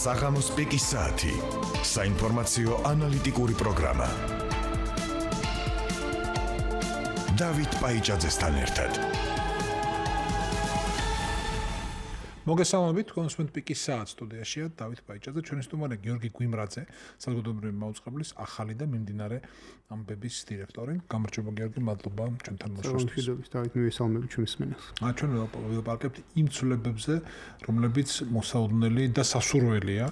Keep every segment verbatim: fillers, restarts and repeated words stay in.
საღამოს პიკის საათი. საინფორმაციო ანალიტიკური პროგრამა. დავით პაიჭაძესთან ერთად. მოგესალმებით, კონსუმენტ პიკის საათ სტუდიაშია დავით პაიჭაძე, ჩვენი სტუმარი გიორგი გვიმრაძე, საზოგადოებრივი მაუწყებლის ახალი და მიმდინარე ამბების დირექტორი. გამარჯობა გიორგი, მადლობა ჩვენთან მოშორისთვის. მოგესალმებით, დავით, მივესალმებით ჩვენს მსმენელს. აა ჩვენ ვილაპარაკებთ იმ ცვლილებებზე, რომლებიც მოსაოდნელი და სასურველია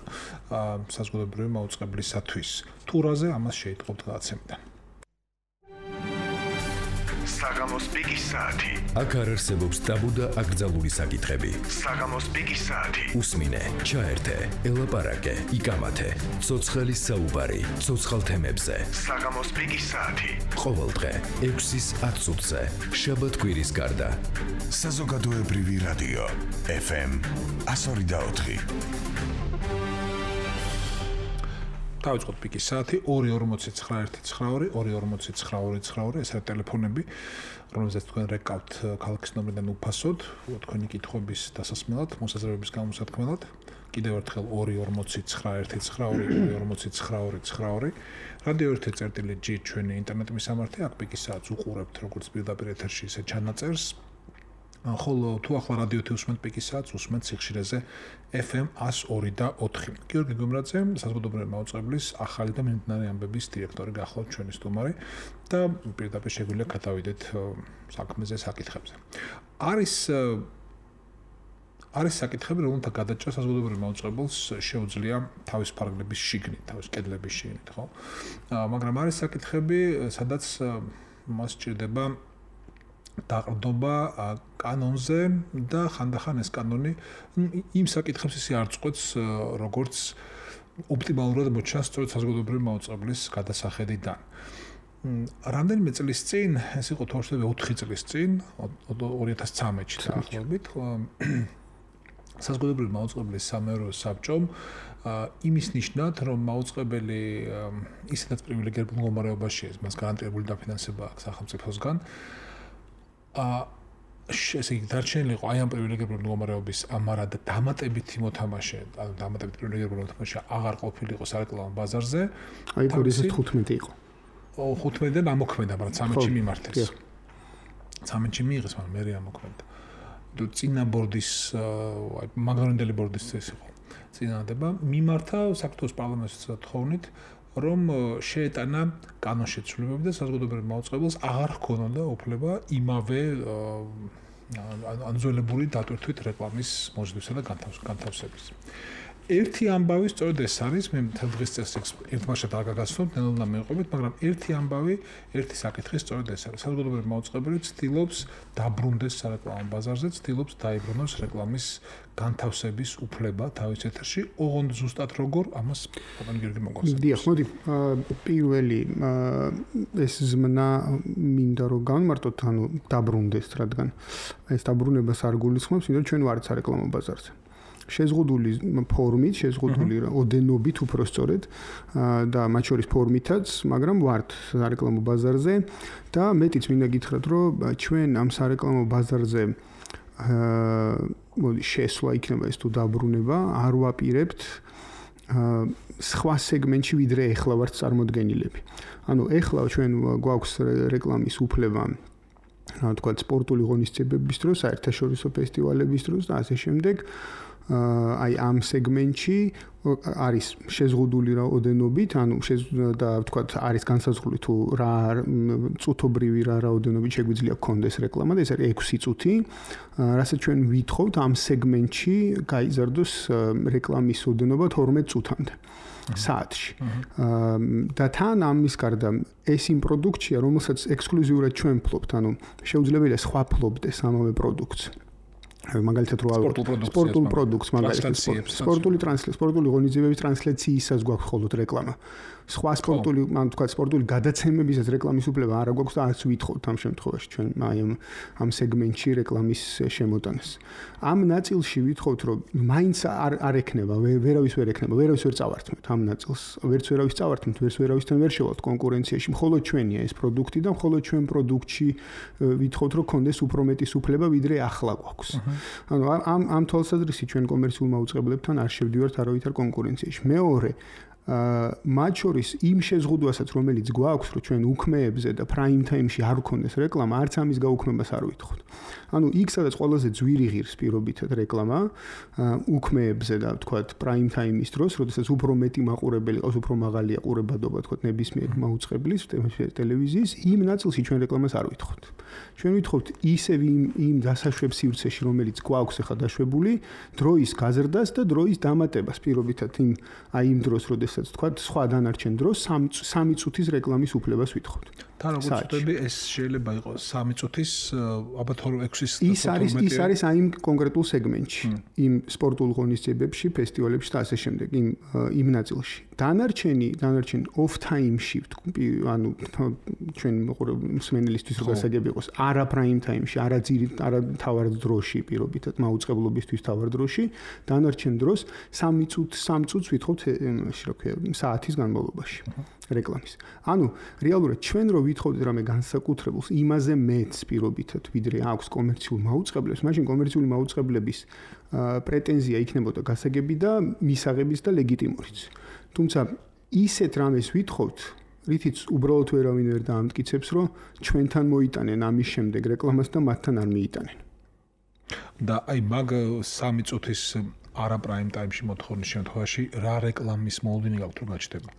საზოგადოებრივი მაუწყებლისათვის. თურაზე ამას შეიტყობთ გადაცემიდან. საღამოს პიკის საათი. აქ არ არსებობს ტაბუ და აკრძალული საკითხები. საღამოს პიკის საათი. უსმინე, ჩაერთე, ელაპარაკე, იკამათე. ცოცხალი საუბარი, ცოცხალ თემებზე. საღამოს პიკის საათი. ყოველდღე ექვსის ათ წუთზე. შაბათ-კვირის გარდა. საზოგადოებრივი რადიო ეფ ემ εκατო ორი და ოთხი. დავიწყოთ პიკის საათი ორი ორმოცი ცხრა ერთი ცხრა ორი ორი ორმოცი ცხრა ორი ცხრა ორი ეს არის ტელეფონები, რომელზეც თქვენ რეკავთ ქალაქის ნომრიდან უფასოდ, თქვენი კითხვების დასასმელად, მოსაზრებების გამოსათქმელად. კიდევ ერთხელ ორი ორმოცი ცხრა ერთი ცხრა ორი ორი ორმოცი ცხრა ორი ცხრა ორი. რადიო ერთი წერტილი ჯი ჩვენი ინტერნეტ მისამართი, აქ პიკის საათს უყურებთ როგორც პირდაპირ ეთერში, ისე ჩანაწერს. ხოლო თუ ახლა რადიო ერთი უსმენთ პიკის საათს, უსმენთ სიხშირეზე ეფ ემ εκατო ორი და ოთხი. გიორგი გვიმრაძე, საზოგადოებრივი მაუწყებლის ახალი და მიმდინარე ამბების დირექტორი გახლავთ ჩვენი სტუმარი და პირდაპირ შეგვიძლია გადავიდეთ საქმეზე, საკითხებზე. არის არის საკითხები, რომელთა გადაჭრა საზოგადოებრივ მაუწყებელს შეუძლია თავის ფარგლების შიგნით, თავის კედლების შიგნით, ხო? მაგრამ არის საკითხები, სადაც მას სჭირდება დაყრდობა კანონზე და ხანდახან ეს კანონი იმ საკითხებს ისე არ წყვეტს, როგორც ოპტიმალურად მოჩანს სწორედ საზოგადოებრივი მაუწყებლის გადასახედიდან. რამდენიმე წლის წინ, ეს იყო თორშები ოთხი წლის წინ, ორი ათას ცხრამეტში დაახლოებით, საზოგადოებრივი მაუწყებლის სამეურვეო საბჭომ იმის ნიშნად, რომ მაუწყებელი ისედაც პრივილეგირებულ მდგომარეობაშია, მას გარანტირებული დაფინანსება აქვს სახელმწიფოსგან. ა ესე იგი დარჩენილი იყო აი ამ პრივილეგირებული მდგომარეობის ამარა და დამატებითი მოთამაშე, ანუ დამატებითი პრივილეგირებული მოთამაშე აღარ ყოფილიყო სარეკლამო ბაზარზე. აი პორიზეს თხუთმეტი იყო. ო თხუთმეტიდან ამოქმედა, მაგრამ ცამეტში მიმართეს. ცამეტში მიიღეს, მაგრამ მე ამოქმედა. თუ წინა ბორდის, აი მაგნორინდელი ბორდის ეს იყო. წინადება მიმართა საქართველოს პარლამენტის თხოვნით, რომ შეეტანა კანონშეცვლებები და საზოგადოებრივ მაუწყებელს აღარ ჰქონოდა უფლება იმავე ანძოლებული დატვირთვით რეკლამის მოსდევსა და განთავსების. ერთი ამბავი სწორედ ეს არის, მე მთელ დღეს წესს ერთმანეთს არ გაგაცნობთ, ნელ-ნელა მივყვებით, მაგრამ ერთი ამბავი, ერთი საკითხი სწორედ ეს არის. საზოგადოებრივ მაუწყებელი ცდილობს დაბრუნდეს სარეკლამო ბაზარზე, ცდილობს დაიბრუნოს რეკლამის განთავსების უფლება თავის ეთერში, ოღონდ ზუსტად როგორ ამას პაპან გიორგი მოგვასწავლის. დიახ, მოდი, პირველი ეს ზმნა მინდა რომ განმარტოთ, ანუ დაბრუნდეს, რადგან ეს დაბრუნებას არ გულისხმობს, იმიტომ ჩვენ ვართ სარეკლამო ბაზარზე. შეზღუდული ფორმით, შეზღუდული ოდენობით უფრო სწორედ და მათ შორის ფორმითაც, მაგრამ ვართ სარეკლამო ბაზარზე და მეტიც მინდა გითხრათ, რომ ჩვენ ამ სარეკლამო ბაზარზე მოდი შესვლა იქნება ეს თუ დაბრუნება, არ ვაპირებთ სხვა სეგმენტში ვიდრე ეხლა ვართ წარმოდგენილები. ანუ ეხლა ჩვენ გვაქვს რეკლამის უფლება რა თქვა სპორტული ღონისძიებების დროს, საერთაშორისო ფესტივალების დროს და ასე შემდეგ. აი ამ სეგმენტში არის შეზღუდული რაოდენობით, ანუ და ვთქვათ, არის განსაზღვრული თუ რა წუთობრივი რა რაოდენობით შეგვიძლია გქონდეს რეკლამა და ეს არის ექვსი წუთი, რასაც ჩვენ ვითხოვთ ამ სეგმენტში გაიზარდოს რეკლამის ოდენობა თორმეტ წუთამდე საათში. და თან ამის გარდა ეს იმ პროდუქტია, რომელსაც ექსკლუზიურად ჩვენ ფლობთ, ანუ შეუძლებელია სხვა ფლობდეს ამავე პროდუქტს. მაგალითად რო სპორტულ პროდუქტს, მაგალითად სპორტული ტრანსლაცია, სპორტული ღონისძიებების ტრანსლაციისას გვაქვს მხოლოდ რეკლამა. სხვა სპორტული, ან თქვა სპორტული გადაცემებისაც რეკლამის უფლება არ გვაქვს და არც ვითხოვთ ამ შემთხვევაში ჩვენ აი ამ ამ სეგმენტში რეკლამის შემოტანას. ამ ნაწილში ვითხოვთ, რომ მაინც არ არ ექნება, ვერავის ვერ ექნება, ვერავის ვერ წავართმევთ ამ ნაწილს. ვერც ვერავის წავართმევთ, ვერც ვერავისთან ვერ შევალთ კონკურენციაში. მხოლოდ ჩვენია ეს პროდუქტი და მხოლოდ ჩვენ პროდუქტში ვითხოვთ, რომ კონდეს უფრო მეტი უფლება, ვიდრე ახლა გვაქვს. ანუ ამ ამ თვალსაზრისით ჩვენ კომერციულ მაუწყებლებთან არ შევდივართ არავითარ კონკურენციაში. მეორე აა მათ შორის იმ შეზღუდვასაც რომელიც გვაქვს რომ ჩვენ უქმეებზე და prime time-ში არ გქონდეს რეკლამა, არც ამის გაუქმებას არ ვითხოვთ. ანუ იქ სადაც ყველაზე ძვირი ღირს პირობითად რეკლამა უქმეებზე და თქვათ prime time-ის დროს, როდესაც უფრო მეტი მაყურებელი ყავს, უფრო მაღალია ყურებადობა თქვათ ნებისმიერ მაუწყებლის ტელევიზიის, იმ ნაწილში ჩვენ რეკლამას არ ვითხოვთ. ჩვენ ვითხოვთ ისევ იმ იმ დასაშვებ სივრცეში, რომელიც გვაქვს ახლა დაშვებული, დროის გაზრდას და დროის დამატებას პირობითად იმ აი იმ დროს, როდესაც თქვათ სხვა დანარჩენ დროს სამი წუთის რეკლამის უფლებას ვითხოვთ. თან როგორც ვთქვი, ეს შეიძლება იყოს სამი წუთის, ალბათ ექვსის ის არის ის არის აი იმ კონკრეტულ სეგმენტში, იმ სპორტულ ღონისძიებებში, ფესტივალებში და ასე შემდეგ, იმ იმ ნაწილში. დანარჩენი, დანარჩენი off time-ში, ანუ ჩვენ მსმენელისთვის რო გასაგები იყოს, არა prime time-ში, არა ძირი, არა თავარ დროში, პირობითად მაუწყებლობისთვის თავარ დროში, დანარჩენ დროს სამი წუთს, სამი წუთს ვითხოვთ, ისე რა ქვია, საათის განმავლობაში. რეკლამის. ანუ რეალურად ჩვენ რო ვითხოვდით რამე განსაკუთრებულს, იმაზე მეც პირობითად, ვიდრე აქვს კომერციულ მაუწყებლებს, მაშინ კომერციული მაუწყებლების პრეტენზია იქნებოდა გასაგები და მისაღებიც და ლეგიტიმურიც. თუმცა ისეთ რამეს ვითხოვთ, რითიც უბრალოდ ვერავინ ვერ დაამტკიცებს, რომ ჩვენთან მოიტანენ ამის შემდეგ რეკლამას და მათთან არ მიიტანენ. და აი მაგ სამი წუთის არა prime time-ში მოთხოვნის შემთხვევაში რა რეკლამის მოლოდინი გაქვთ რომ გაჩნდება?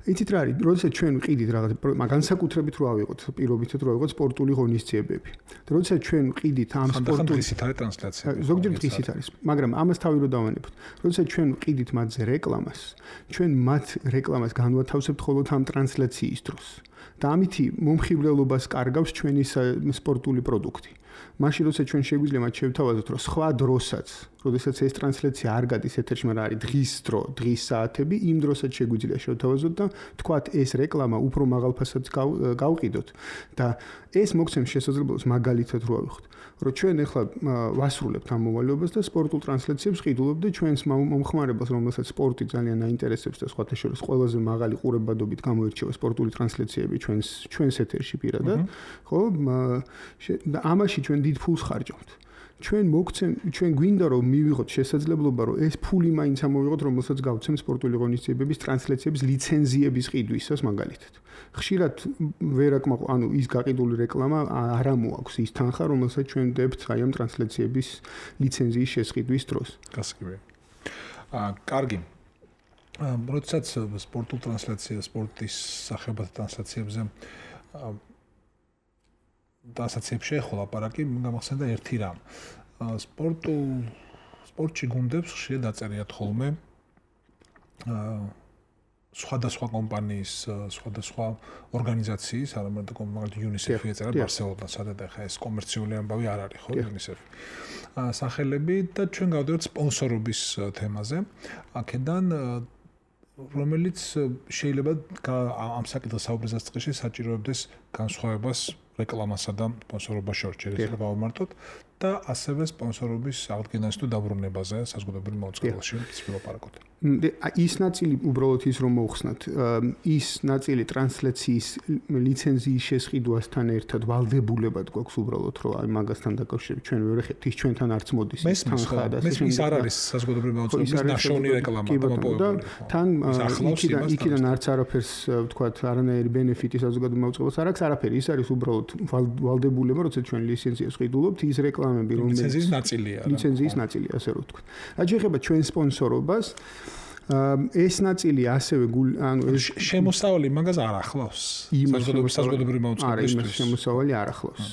იცით რა არის, როდესაც ჩვენ ვყიდით რაღაც განსაკუთრებით რო ავიღოთ, პირობითად რო ავიღოთ სპორტული ღონისძიებები. და როდესაც ჩვენ ვყიდით ამ სპორტული დღისით არის ტრანსლაცია. ზოგჯერ დღისით არის, მაგრამ ამას თავი რო დავანებოთ. როდესაც ჩვენ ვყიდით მათზე რეკლამას, ჩვენ მათ რეკლამას განვათავსებთ მხოლოდ ამ ტრანსლაციის დროს. და ამითი მომხიბვლელობას კარგავს ჩვენი სპორტული პროდუქტი. მაშინ როცა ჩვენ შეგვიძლია მათ შევთავაზოთ, რომ სხვა დროსაც, როდესაც ეს ტრანსლაცია არ გადის ეთერში, მაგრამ არის დღის დრო, დღის საათები, იმ დროსაც შეგვიძლია შევთავაზოთ და თქვათ ეს რეკლამა უფრო მაღალ ფასად გავყიდოთ და ეს მოგცემს შესაძლებლობას მაგალითად რო ავიხოთ, რომ ჩვენ ახლა ვასრულებთ ამ მოვალეობას და სპორტულ ტრანსლაციებს ყიდულობთ და ჩვენს მომხმარებელს, რომელსაც სპორტი ძალიან აინტერესებს და სხვათა შორის ყველაზე მაღალი ყურებადობით გამოირჩევა სპორტული ტრანსლაციები ჩვენს ჩვენს ეთერში პირადად, ხო? და ამაში ჩვენ დიდ ფულს ხარჯავთ. ჩვენ მოგცემ, ჩვენ გვინდა რომ მივიღოთ შესაძლებლობა, რომ ეს ფული მაინც ამოვიღოთ, რომელსაც გავცემ სპორტული ღონისძიებების ტრანსლაციების ლიცენზიების ყიდვისას მაგალითად. ხშირად ვერ აკმაყ, ანუ ის გაყიდული რეკლამა არ ამოაქვს ის თანხა, რომელსაც ჩვენ ვდებთ აი ამ ტრანსლაციების ლიცენზიის შესყიდვის დროს. გასაგებია. აა, კარგი. აა, როდესაც სპორტულ ტრანსლაცია, სპორტის სახეობათა ტრანსლაციებზე აა დასაცებს შეეხო ლაპარაკი, გამახსენდა ერთი რამ. სპორტულ სპორტში გუნდებს ხშირად დაწერიათ ხოლმე აა სხვადასხვა კომპანიის, სხვადასხვა ორგანიზაციის, არამედ მაგალითად UNICEF-ი ეწერა ბარსელონას, სადაც ახლა ეს კომერციული ამბავი არ არის, ხო, UNICEF-ი. აა სახელები და ჩვენ გავდივართ სპონსორობის თემაზე. აქედან რომელიც შეიძლება ამ საკითხის საუბრისას წესში საჭიროებდეს განსხვავებას რეკლამასა და სპონსორობას შორის შეიძლება გავამართოთ და ასევე სპონსორობის აღდგენას თუ დაბრუნებაზე საზოგადოებრივ მოწყობილში ვილაპარაკოთ. ის ნაწილი უბრალოდ ის რომ მოხსნათ, ის ნაწილი ტრანსლაციის ლიცენზიის შესყიდვასთან ერთად ვალდებულებად გვაქვს უბრალოდ რომ აი მაგასთან დაკავშირებით ჩვენ ვერ ხებთ ის ჩვენთან არც მოდის ის თანხა და ეს ის არ არის საზოგადოებრივ მოწყობილში ნაშოვნი რეკლამა და მოპოვებული. თან იქიდან იქიდან არც არაფერს ვთქვათ არანაირი ბენეფიტი საზოგადოებრივ მოწყობილს არ აქვს არაფერი, ის არის უბრალოდ ვალდებულება, როცა ჩვენ ლიცენზიას ყიდულობთ, ის რეკლამები რომელიც ლიცენზიის ნაწილია. ლიცენზიის ნაწილია, ასე რომ ვთქვათ. რაც შეეხება ჩვენ სპონსორობას, ეს ნაწილი ასევე ანუ ეს შემოსავალი მაგას არ ახლავს. საზოგადოებრივ საზოგადოებრივ მოწყობილისთვის. არა, შემოსავალი არ ახლავს.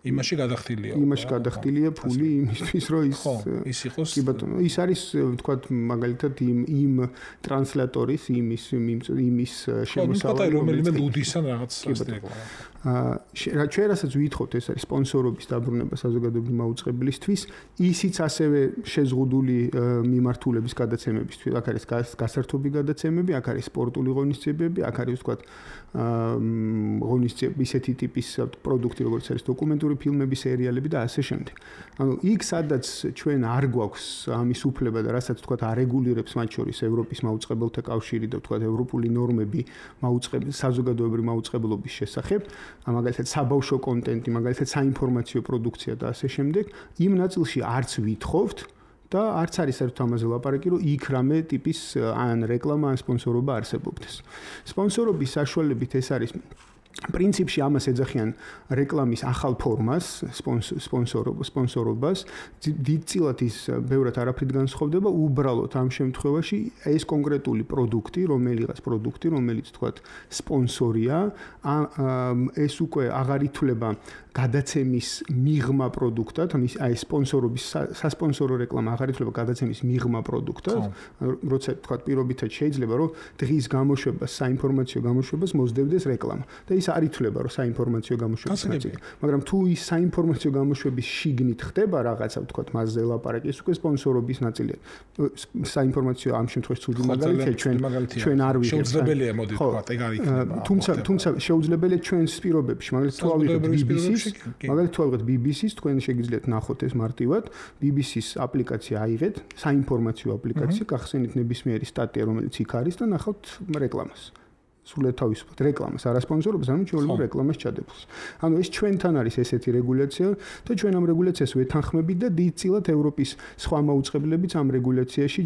იმაში გადახდილია. იმაში გადახდილია ფული იმისთვის, რომ ის ის იყოს. კი ბატონო, ის არის ვთქვათ მაგალითად იმ იმ ტრანსლატორის იმის იმის შემოსავალი, რომელიმე ლუდისან რაღაც ასეთია. აა ჩვენ რასაც ვითხოვთ ეს არის სპონსორობის დაბრუნება საზოგადოებრივი მაუწყებლისთვის, ისიც ასევე შეზღუდული მიმართულების გადაცემებისთვის. აქ არის გასართობი გადაცემები, აქ არის სპორტული ღონისძიებები, აქ არის ვთქვათ აა ღონისძიებები ისეთი ტიპის პროდუქტი, როგორც არის დოკუმენტური ფილმები, სერიალები და ასე შემდეგ. ანუ იქ სადაც ჩვენ არ გვაქვს ამის უფლება და რასაც ვთქვათ არეგულირებს მათ შორის ევროპის მაუწყებელთა კავშირი და ვთქვათ ევროპული ნორმები მაუწყებელ საზოგადოებრივი მაუწყებლობის შესახებ, მაგალითად საბავშვო კონტენტი, მაგალითად საინფორმაციო პროდუქცია და ასე შემდეგ, იმ ნაწილში არც ვითხოვთ და არც არის საერთოდ ამაზე ლაპარაკი, რომ იქ რამე ტიპის ან რეკლამა ან სპონსორობა არსებობდეს. სპონსორობის საშუალებით ეს არის პრინციპში ამას ეძახიან რეკლამის ახალ ფორმას, სპონსორობას, სპონსორობას, დიდწილად ის ბევრად არაფრით განსხვავდება, უბრალოდ ამ შემთხვევაში ეს კონკრეტული პროდუქტი, რომელიღაც პროდუქტი, რომელიც თქვათ სპონსორია, ეს უკვე აღარ ითვლება გადაცემის მიღმა პროდუქტად, აი სპონსორობის სასპონსორო რეკლამა აღარ ითვლება გადაცემის მიღმა პროდუქტად, როცა თქვათ პირობითად შეიძლება რომ დღის გამოშვებას, საინფორმაციო გამოშვებას მოსდევდეს რეკლამა. და ის არ ითვლება რომ საინფორმაციო გამოშვების ნაწილი, მაგრამ თუ ის საინფორმაციო გამოშვების შიგნით ხდება რაღაცა, ვთქვათ, მასზე ლაპარაკი, ეს უკვე სპონსორობის ნაწილია. საინფორმაციო ამ შემთხვევაში ცუდი მაგალითია, ჩვენ ჩვენ არ ვიღებთ. შეუძლებელია მოდი ვთქვათ, ეგ არ იქნება. თუმცა თუმცა შეუძლებელია ჩვენს პირობებში, მაგალითად თუ ავიღებთ ბი ბი სის, მაგალითად თუ ავიღებთ ბი ბი სის, თქვენ შეგიძლიათ ნახოთ ეს მარტივად, ბი ბი სის აპლიკაცია აიღეთ, საინფორმაციო აპლიკაცია, გახსენით ნებისმიერი სტატია, რომელიც იქ არის და ნახავთ რეკლამას. სულ თავისუფლად რეკლამას, არასპონსორობას, ანუ ჩვეულებრივ რეკლამას ჩადებულს. ანუ ეს ჩვენთან არის ესეთი რეგულაცია და ჩვენ ამ რეგულაციას ვეთანხმებით და დიდწილად ევროპის სხვა მაუწყებლებიც ამ რეგულაციაში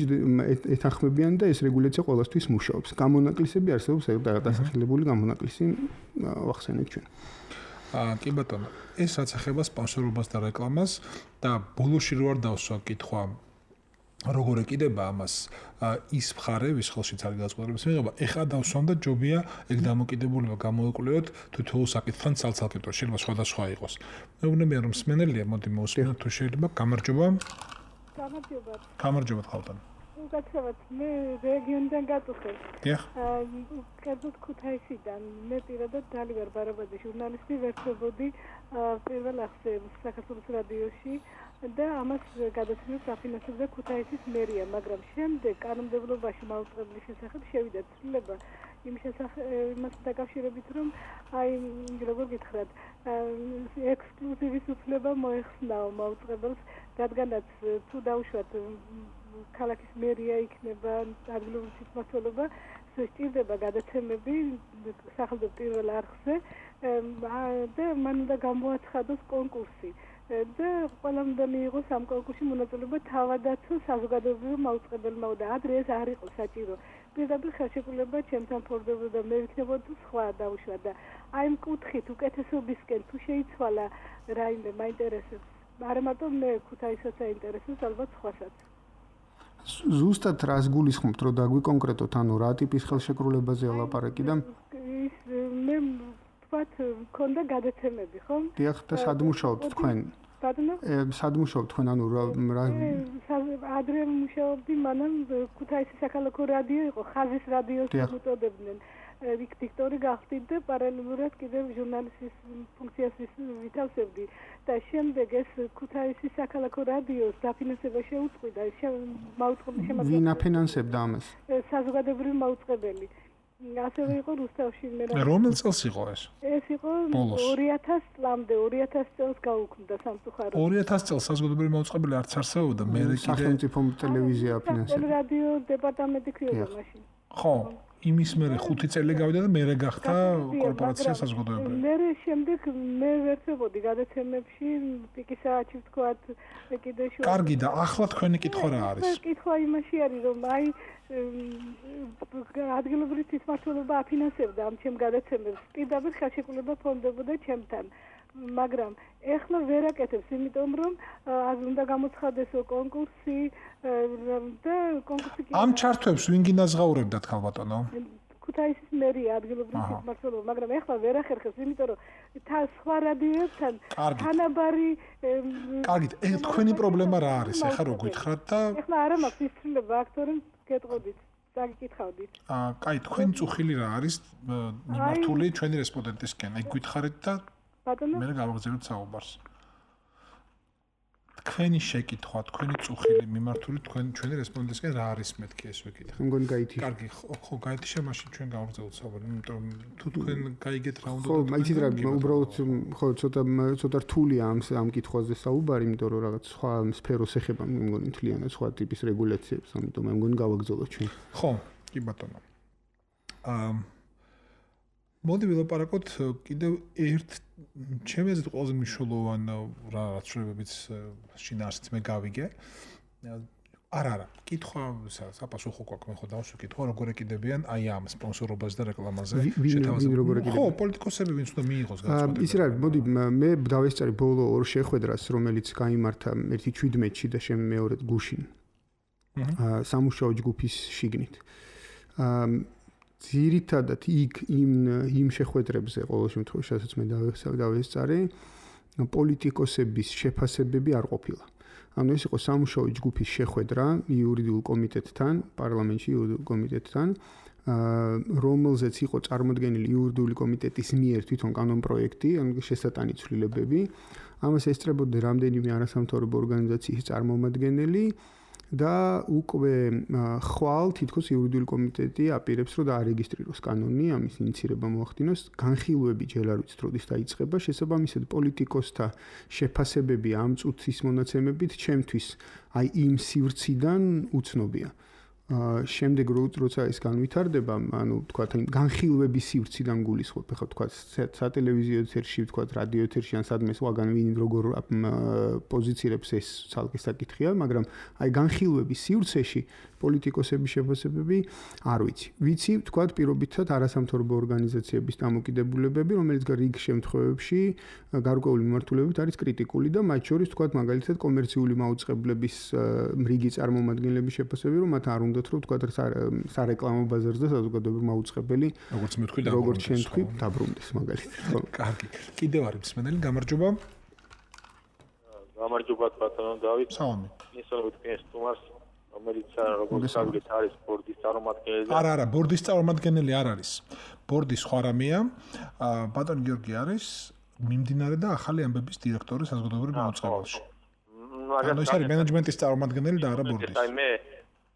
ეთანხმებიან და ეს რეგულაცია ყოველთვის მუშაობს. გამონაკლისები არსებობს, დასახელებული გამონაკლისი ვახსენეთ ჩვენ. აა კი ბატონო, ეს რაც ეხება სპონსორობას და რეკლამას და ბოლოში რო არ დავსვა კითხვა როგორ ეკიდება ამას ის მხარე, ვის ხელშიც არის გადაწყვეტილების მიღება, ეხა დავსვამ და ჯობია ეგ დამოკიდებულება გამოეკვლიოთ თითოეულ საკითხთან ცალ-ცალკე, შეიძლება სხვადასხვა იყოს. მეუბნებიან რომ მსმენელია, მოდი მოусმინოთ თუ შეიძლება. გამარჯობა. გამარჯობა. გამარჯობა ხალხთან. უკაცრავად, მე რეგიონიდან გაწუხებ. დიახ. კერძოდ ქუთაისიდან, მე პირადად დალი ვარ ბარაბაძე ჟურნალისტი, ვერთობოდი პირველ ახსე საქართველოს რადიოში. და ამას გადაცემებს აფინანსებდა ქუთაისის მერია, მაგრამ შემდეგ კანონმდებლობაში მაუწყებლის შესახებ შევიდა ცვლილება იმ შესახებ იმას დაკავშირებით, რომ აი როგორ გითხრათ, ექსკლუზივის უფლება მოეხსნაო მაუწყებელს, რადგანაც თუ დაუშვათ ქალაქის მერია იქნება ადგილობრივი თვითმმართველობა, სჭირდება გადაცემები სახელმწიფო პირველ არხზე და მან უნდა გამოაცხადოს კონკურსი. და ყველამ უნდა მიიღოს ამ კონკურსში მონაწილეობა თავადაც საზოგადოებრივ მაუწყებელმა და ადრე ეს არ იყო საჭირო. პირდაპირ ხელშეკრულება ჩემთან ფორდებოდა და მე ვიქნებოდი სხვა დაუშვა და აი ამ კუთხით უკეთესობისკენ თუ შეიცვალა რაიმე მაინტერესებს. არა მარტო მე ქუთაისაც აინტერესებს, ალბათ სხვასაც. ზუსტად რას გულისხმობთ, რომ დაგვიკონკრეტოთ, ანუ რა ტიპის ხელშეკრულებაზე ლაპარაკი და ის მე ვთქვათ, მქონდა გადაცემები, ხო? დიახ, და სად მუშაობთ თქვენ? ბატონო? სად მუშაობთ თქვენ, ანუ რა ადრე მუშაობდი, მანამ ქუთაისის საქალაქო რადიო იყო, ხაზის რადიოს უწოდებდნენ. იქ დიქტორი გავხდით და პარალელურად კიდევ ჟურნალისტის ფუნქციას ვითავსებდი და შემდეგ ეს ქუთაისის საქალაქო რადიოს დაფინანსება შეუწყვიდა, მაუწყებლის შემადგენლობაში. ვინ აფინანსებდა ამას? საზოგადოებრივი მაუწყებელი. ასევე იყო რუსთავში მე. რომელ წელს იყო ეს? ეს იყო ორი ათას წლამდე, ორი ათას წელს გაუქმდა სამწუხაროდ. ორი ათას წელს საზოგადოებრივი მაუწყებელი არც არსებობდა, მე კიდე სახელმწიფო ტელევიზია აფინანსებდა. რადიო დეპარტამენტი ქვია მაშინ. ხო, იმის მერე ხუთი წელი გავიდა და მერე გახდა კორპორაცია საზოგადოებრივი. მერე შემდეგ მე ვერთებოდი გადაცემებში, პიკისაჩი ვთქვათ, კიდე შუა. კარგი და ახლა თქვენი კითხვა რა არის? კითხვა იმაში არის, რომ აი ადგილობრივი თვითმმართველობა აფინანსებდა ამ ჩემ გადაცემებს. პირდაპირ ხელშეკრულება ფონდებოდა ჩემთან. მაგრამ ეხლა ვერ აკეთებს, იმიტომ რომ უნდა გამოცხადესო კონკურსი და კონკურსი ამ ჩართვებს ვინ გინაზღაურებდა თქვა ბატონო? ქუთაისის მერია ადგილობრივი თვითმმართველობა, მაგრამ ეხლა ვერ ახერხებს, იმიტომ რომ თან სხვა რადიოებთან თანაბარი კარგით, თქვენი პრობლემა რა არის? ეხლა რო გითხრათ და ეხლა არა მაქვს ისწრება აქტორებს გეტყოდით. დაგიკითხავდით. აა, კაი, თქვენი წუხილი რა არის მიმართული ჩვენი რესპონდენტისკენ? აი გითხარით და მე გავაგზავნოთ საუბარს. თქვენი შეკითხვა, თქვენი წუხილი მიმართული თქვენ ჩვენი რესპონდენტისკენ რა არის მეთქი ეს ვეკითხე. მე მგონი გაითიშა. კარგი, ხო, გაითიშა, მაშინ ჩვენ გავაგზავნოთ საუბარი, იმიტომ რომ თუ თქვენ გაიგეთ რა უნდა ხო, მაიცით რა, უბრალოდ ხო, ცოტა ცოტა რთულია ამ ამ კითხვაზე საუბარი, იმიტომ რომ რაღაც სხვა სფეროს ეხება, მე მგონი მთლიანად სხვა ტიპის რეგულაციებს, ამიტომ მე მგონი გავაგზავნოთ ჩვენ. ხო, კი ბატონო. აა მოდი ვილაპარაკოთ კიდევ ერთ ჩემი აზრით ყველაზე მნიშვნელოვან რაღაცებიც შინაარსიც მე გავიგე. არა, არა, კითხვა საპასუხო გვაქვს, მე ხო დავსვი კითხვა, როგორ ეკიდებიან აი ამ სპონსორობას და რეკლამაზე შეთავაზებულს. ხო, პოლიტიკოსები ვინც უნდა მიიღოს განცხადება. ის რა, მოდი მე დავესწარი ბოლო ორ შეხვედრას, რომელიც გაიმართა ერთი შვიდმეტში და შემ მეორედ გუშინ. აა სამუშაო ჯგუფის შიგნით. აა ძირითადად იქ იმ იმ შეხვედრებზე ყოველ შემთხვევაში, სადაც მე დავესწარი, პოლიტიკოსების შეფასებები არ ყოფილა. ანუ ეს იყო სამუშაო ჯგუფის შეხვედრა იურიდიულ კომიტეტთან, პარლამენტში იურიდიულ კომიტეტთან, რომელზეც იყო წარმოდგენილი იურიდიული კომიტეტის მიერ თვითონ კანონპროექტი, ანუ შესატანი ცვლილებები. ამას ესწრებოდა რამდენიმე არასამთავრობო ორგანიზაციის წარმომადგენელი. და უკვე ხვალ თითქოს იურიდიული კომიტეტი აპირებს რომ დაარეგისტრიროს კანონი, ამის ინიცირება მოახდინოს, განხილვები ჯერ არ ვიცით როდის დაიწყება, შესაბამისად პოლიტიკოსთა შეფასებები ამ წუთის მონაცემებით ჩემთვის აი იმ სივრციდან უცნობია. შემდეგ როცა ეს განვითარდება, ანუ თქვა იმ განხილვების სივრციდან გულისხმობ, ხა თქვა სატელევიზიო ეთერში, თქვა რადიო ეთერში ან სადმე სხვაგან ვინ როგორ პოზიცირებს ეს ცალკე საკითხია, მაგრამ აი განხილვების სივრცეში პოლიტიკოსების შეფასებები არ ვიცი. ვიცი, თქვა პირობითად არასამთავრობო ორგანიზაციების დამოკიდებულებები, რომელიც რიგ შემთხვევებში გარკვეული მიმართულებით არის კრიტიკული და მათ შორის თქვა მაგალითად კომერციული მაუწყებლების რიგი წარმომადგენლების შეფასებები, რომ მათ არ უნდათ რომ თქვა სარეკლამო ბაზარზე საზოგადოებრივი მაუწყებელი, როგორც მე თქვი და როგორც შენ თქვი, დაბრუნდეს მაგალითად. კარგი. კიდევ არის მსმენელი, გამარჯობა. გამარჯობა ბატონო დავით. სალამი. ისწავლეთ ეს თუმას რომელიც როგორც გავიგეთ არის ბორდის წარმომადგენელი. არა, არა, ბორდის წარმომადგენელი არ არის. ბორდი სხვა რამეა. ბატონი გიორგი არის მიმდინარე და ახალი ამბების დირექტორი საზოგადოებრივ მაუწყებელში. ანუ ეს არის მენეჯმენტის წარმომადგენელი და არა ბორდის. აი მე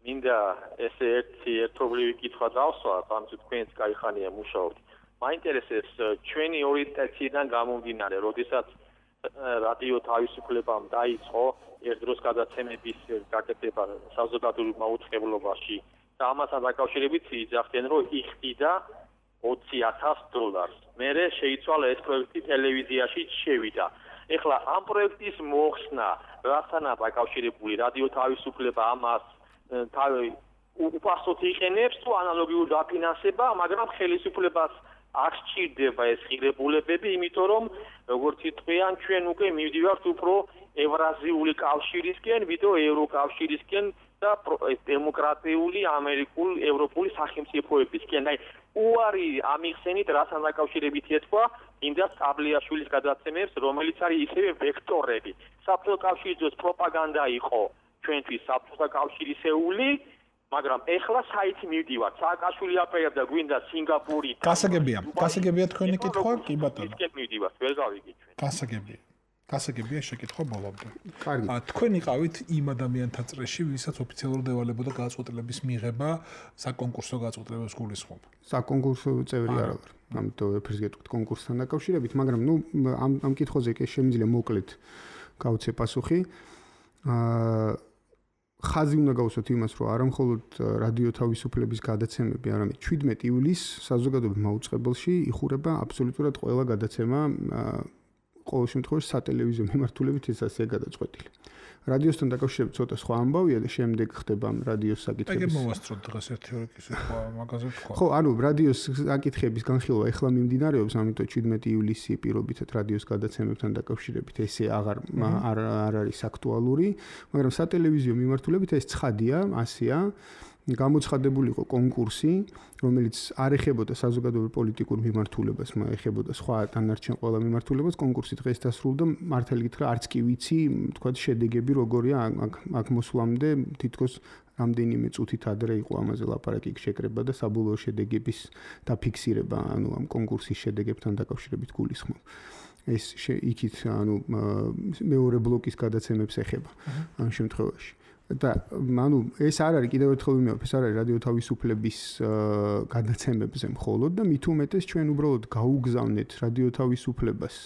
მინდა ესე ერთი ერთობლივი კითხვა დავსვა, ამიტომ თქვენც კაი ხანია მუშაობთ. მაინტერესებს ჩვენი ორიენტაციიდან გამომდინარე, როდესაც რადიო თავისუფლებამ დაიწყო ერთ დროს გადაცემების გაკეთება საზოგადოებრივ მაუწყებლობაში და ამასთან დაკავშირებით იძახდნენ, რომ იხდიდა ოცი ათას დოლარს. მერე შეიცვალა ეს პროექტი ტელევიზიაში შევიდა. ეხლა ამ პროექტის მოხსნა რასთანაა დაკავშირებული? რადიო თავისუფლება ამას თავი უპასუხოდ იყენებს თუ ანალოგიურ დაფინანსება, მაგრამ ხელისუფლებას არ სჭირდება ეს ღირებულებები, იმიტომ რომ როგორც იტყვიან, ჩვენ უკვე მივდივართ უფრო ევრაზიული კავშირისკენ, ვიდრე ევროკავშირისკენ და დემოკრატიული ამერიკულ ევროპული სახელმწიფოებისკენ. აი, უარი ამიხსენით, რასთან დაკავშირებით ეთქვა, ინდა სტაბლიაშვილის გადაცემებს, რომელიც არის ისევე ვექტორები. საბჭოთა კავშირის დროს პროპაგანდა იყო ჩვენთვის საბჭოთა კავშირისეული, მაგრამ ეხლა საით მივდივართ. სააკაშვილი აპერებდა გვინდა სინგაპური. გასაგებია, გასაგებია თქვენი კითხვა, კი ბატონო. ისკენ მივდივართ, ვერ გავიგე ჩვენ. გასაგებია. გასაგებია შეკითხვა ბოლომდე. კარგი. თქვენ იყავით იმ ადამიანთა წრეში, ვისაც ოფიციალურად ევალებოდა გადაწყვეტილების მიღება საკონკურსო გადაწყვეტილებას გულისხმობ. საკონკურსო წევრი არ ვარ. ამიტომ ვეფერს გეტყვით კონკურსთან დაკავშირებით, მაგრამ ნუ ამ ამ კითხვაზე კი შემიძლია მოკლედ გავცე პასუხი. აა ხაზი უნდა გავუსვათ იმას, რომ არა მხოლოდ რადიო თავისუფლების გადაცემები, არამედ შვიდმეტი ივლისს საზოგადოებრივ მაუწყებელში იხურება აბსოლუტურად ყველა გადაცემა ყოველ შემთხვევაში სატელევიზიო მიმართულებით ესაა გადაწყვეტილი. რადიოსთან დაკავშირებით ცოტა სხვა ამბავია და შემდეგ ხდება რადიოს საკითხების. ეგ მოვასწროთ დღეს ერთი ორი კითხვა მაგაზე თქვა. ხო, ანუ რადიოს საკითხების განხილვა ეხლა მიმდინარეობს, ამიტომ შვიდმეტი ივლისი პირობითად რადიოს გადაცემებთან დაკავშირებით ესე აღარ არ არ არის აქტუალური, მაგრამ სატელევიზიო მიმართულებით ეს ცხადია, ასეა. გამოცხადებული იყო კონკურსი, რომელიც არ ეხებოდა საზოგადოებრივ პოლიტიკურ მიმართულებას, ეხებოდა სხვა დანარჩენ ყველა მიმართულებას. კონკურსი დღეს დასრულდა, მართალი გითხრა, არც კი ვიცი, თქვა შედეგები როგორია აქ მოსვლამდე, თითქოს რამდენიმე წუთით ადრე იყო ამაზე ლაპარაკი შეკრება და საბოლოო შედეგების დაფიქსირება, ანუ ამ კონკურსის შედეგებთან დაკავშირებით გულისხმობ. ეს იქით, ანუ მეორე ბლოკის გადაცემებს ეხება ამ შემთხვევაში. და ანუ ეს არ არის კიდევ ერთხელ ვიმეორებ, ეს არ არის რადიო თავისუფლების გადაცემებზე მხოლოდ და მით უმეტეს ჩვენ უბრალოდ გაუგზავნეთ რადიო თავისუფლებას